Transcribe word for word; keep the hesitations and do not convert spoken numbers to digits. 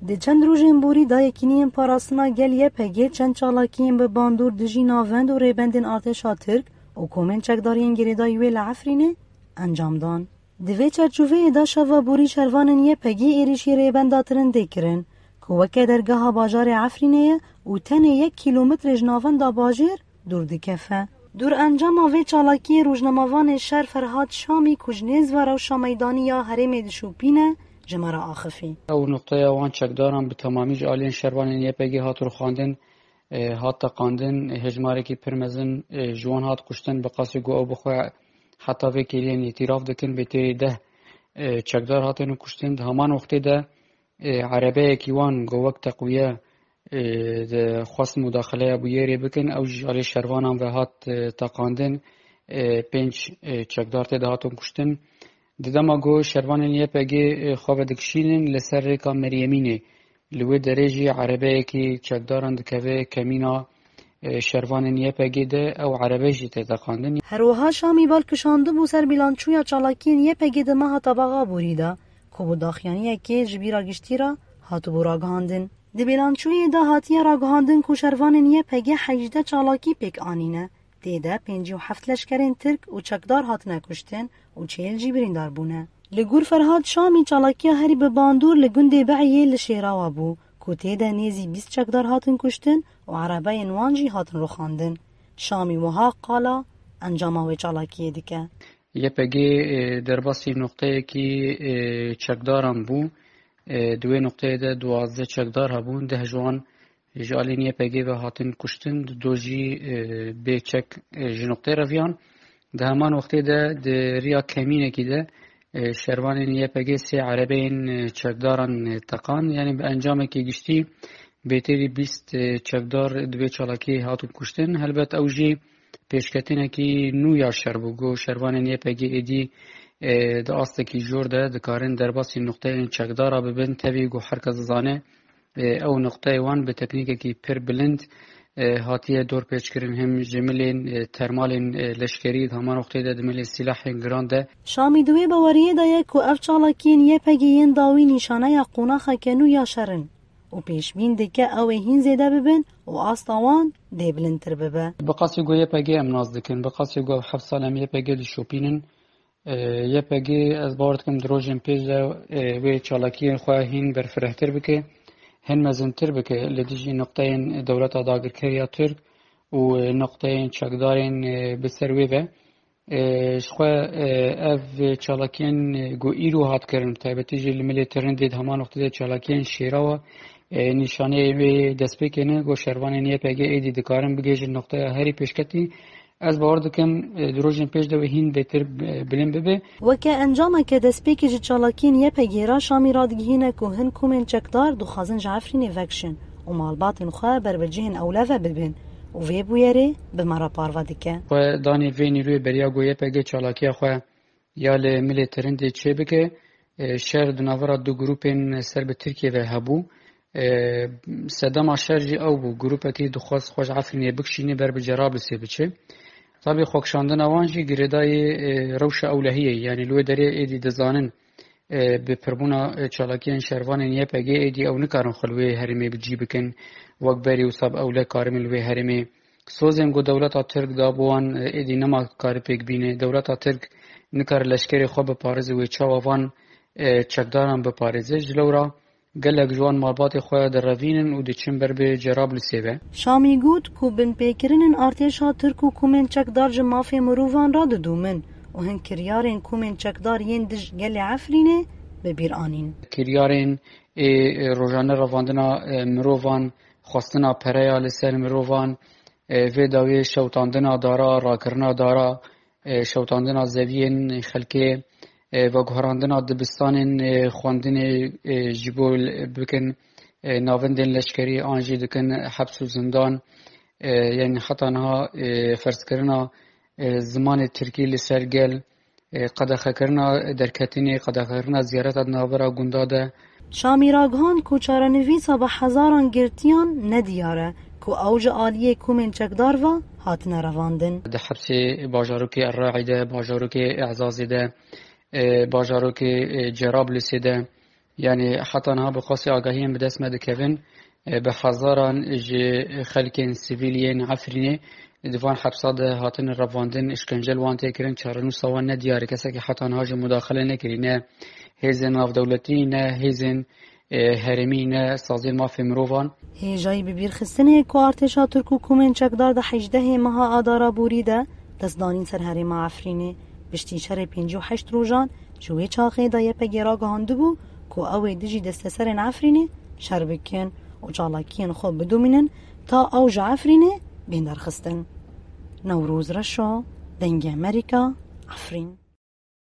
Di çend rojên borî de Yekîniyên Parastina Gel Y P G çend çalakiyên bi bandor dijî navend û rêbendên artêşa Tirk û komên çekdariyên girêdayî wê li Efrînê encam dan. Di vê çarçoveyê de şeva borî şervanên Y P G êrîşî rêbenda Tirindê kirin, ku weke dergeha bajarê Efrînê ye û tenê yek kîlometrê ji navenda bajêr dûr dikefe. Dûr encama vê çalakiyê rojnamevanê şer Ferhad Şamî ku ji nêz ve rewşa meydanî ya herêmê dişopîne, ji me re axifî. Ew noqteya wan çekdaran bi temamî ji aliyên şervanên Y P G hat rûxandin, e, hat teqandin, hejmarekî pir mezin, e, ji wan hat kuştin, bi qasî ku ew bi xwe heta vê kêliyên îtîraf dikin, bêtêrî deh, e, çekdar hatin kuştin. Di heman wextê de, e, erebeyekî wan ku wek teqwiye, e, dixwest mudaxileya bûyerê bikin, ew jî alê şervanan ve hat, e, teqandin, e, pênc, e, çekdar tê de hatin kuştin. Di dema ku şervanên Y P G, e, xwe vedikişînin li ser rêka Meryemînê, li wê derê jî erebeyekî çekdaran dikeve kemîna, e, şervanên Y P G de, ew erebe jî tê teqandin. Her wiha Şamî bal kişandibû ser bîlançoya çalakiyên Y P G di meha Tebaxa borî de, ku bi daxuyaniyekê ji bîra giştî re hatibû ragihandin. Di bîlançoyê de hatiye ragihandin ku şervanên Y P G hejdeh çalakî pêk anîne. Tê de pêncî û heft leşkerên Tirk û çekdar hatine kuştin û çêl jî birîndar bûne. Li gor Ferhad Şamî, çalakiya herî bi bandor li gundê Be'iyê li Şêrawa bû, ku tê de nêzî bîst çekdar hatin kuştin û erebeyên wan jî hatin rûxandin. Şamî wiha qala encama wê çalakiyê dike. Y P G, e, derbasî noqteyekî, e, çekdaran bû. E, di wê noqteyê de duwazdeh çekdar hebûn, deh ji wan ji aliyên Y P G ve hatin kuştin, du jî, e, bê çek, e, ji noqtê reviyan. Di heman wextê de di riya kemînekî de, e, şervanên Y P G sê erebeyên, e, çekdaran, e, teqan. Yanî bi encamekî giştî bêtêrî bîst, e, çekdar di vê çalakiyê hatin kuştin. Helbet ew jî pêşketinekî nû ya şer bû. Got şervanên Y P G êdî, e, di astekî jor de dikarin derbasî noqteyên çekdara bibin. Tevî got her kes dizane, e, ew noqteyê wan bi teknîkekî pir bilind, e, hatiye dorpêçkirin, him ji milên, e, termalên, e, leşkerî, di heman wextê de di milê sîlahên giran de. Şamî di wê baweriyê de ye ku ev çalakiyên Y P G yên dawî nîşaneya qonaxeke nû ya şer in û pêşbîn dike ew ê hîn zêde bibin û asta wan dê bilindtir bibe. Bi qasî ku Y P G em nas dikin, bi qasî ku ev heft sal em Y P G dişopînin, E, Y P G, ez bawer dikim di rojên pêş de, e, wê çalakiyên xwe hîn berfirehtir bike, hîn mezintir bike li dijî nuqteyên dewleta dagirker ya Tirk û, e, nuqteyên çekdarên, e, bi ser wê ve. E, ji xwe, e, ev çalakiyên, e, ku îro hat kirin, bi taybetî jî li milê Tirindê di heman wextê de çalakiyên Şêrawa, e, nîşaneyê wê destpêkê ne, ku şervanên Y P G êdî dikarin bigihêjin nuqteya herî pêşketî. Ez bawer dikim, e, di rojên pêş de wê hîn bêtir, e, bilind bibe. Weke encameke destpêkê ji çalakiyên Y P G re Şamî radigihîne ku hin komên çekdar dixwazin ji Efrînê vekişin û malbatên xwe ber bi cihên ewle ve bibin û vê bûyerê bi me re parve dike. Xwe danê vê nîroyê beriya ku Y P G çalakiya xwe ya li milê Tirindê çêbike, e, şer di navbera du grûpên ser bi Tirkiyê ve hebû. E, sedema şer jî ew bû, grûpekî dixwest xwe ji Efrînê bikişîne ber bi Cerablisê biçe. Tabî xwekişandina wan jî girêdayî, e, rewşa ewlehiyê, yanî li wê derê êdî dizanin, e, bi pirbûna, e, çalakiyên şervanên Y P G êdî ew nikarin xwe li wê herêmê bi cî bikin, wek berî wisa bi ewle karibin li wê herêmê. Sozên ku dewleta Tirk da bo wan, e, êdî nema kare pêk bîne. Dewleta Tirk nikare leşkerê xwe biparêze, wê çawa van, e, çekdaran biparêze. Ji lewra gelek ji wan malbatê xwe direvînin û diçin ber bi Cerablisê ve. Şamî got ku binpêkirinên artêşa Tirk û komên çekdar ji mafê mirovan re didûmin û hin kiryarên komên çekdar yên dij gelê Efrînê bi bîr anîn. Kiryarên ê, e, rojane revandina, e, mirovan, xwestina pereya li ser mirovan, e, vê dawiyê şewtandina dara, rakirina dara, e, şewtandina zeviyên xelkê, e, veguherandina dibistanên, e, xwendinê, e, ji bo l-, bikin, e, navendên leşkerî an jî dikin heps û zindan, e, yanî heta niha, e, ferzkirina, e, zimanê tirkî li ser gel, e, qedexekirina derketinê, qedexekirina ziyareta di navbera gunda de. Şamî ragihand ku çarenivîsa bi hezaran girtiyan nediyar e, ku ew ji aliyê komên çekdar ve hatine revandin. Di hepsê bajarokê Erraî de, bajarokê Ezazê de, e, bajarokê, e, Cerablisê de, Yani heta niha bi qasî agahiyên bi dest me dikevin, e, bi hezaran ji xelkên sivîl yên Efrînê di van hepsa de hatine revandin, îşkence li wan tê kirin, çarenûsa wan ne diyar e. Kesekî heta niha jî mudaxile nekirî, ne hêzên navdewletî, ne hêzên, e, herêmî, ne saziyên mafê mirovan. Hêjayî bi bîr xistinê ku artêşa Tirk û komên çekdar di hejdehê meha Adara borî de destdanîn ser herêma Efrînê, piştî şerê pêncî û heşt rojan ji wê çaxê de Y P G ragihandibû ku ew ê dijî desteserên Efrînê şer bikin û çalakiyên xwe bidomînin ta ew ji Efrînê bên derxistin. Newroz Reşo, Dengê Amerîka, Efrîn.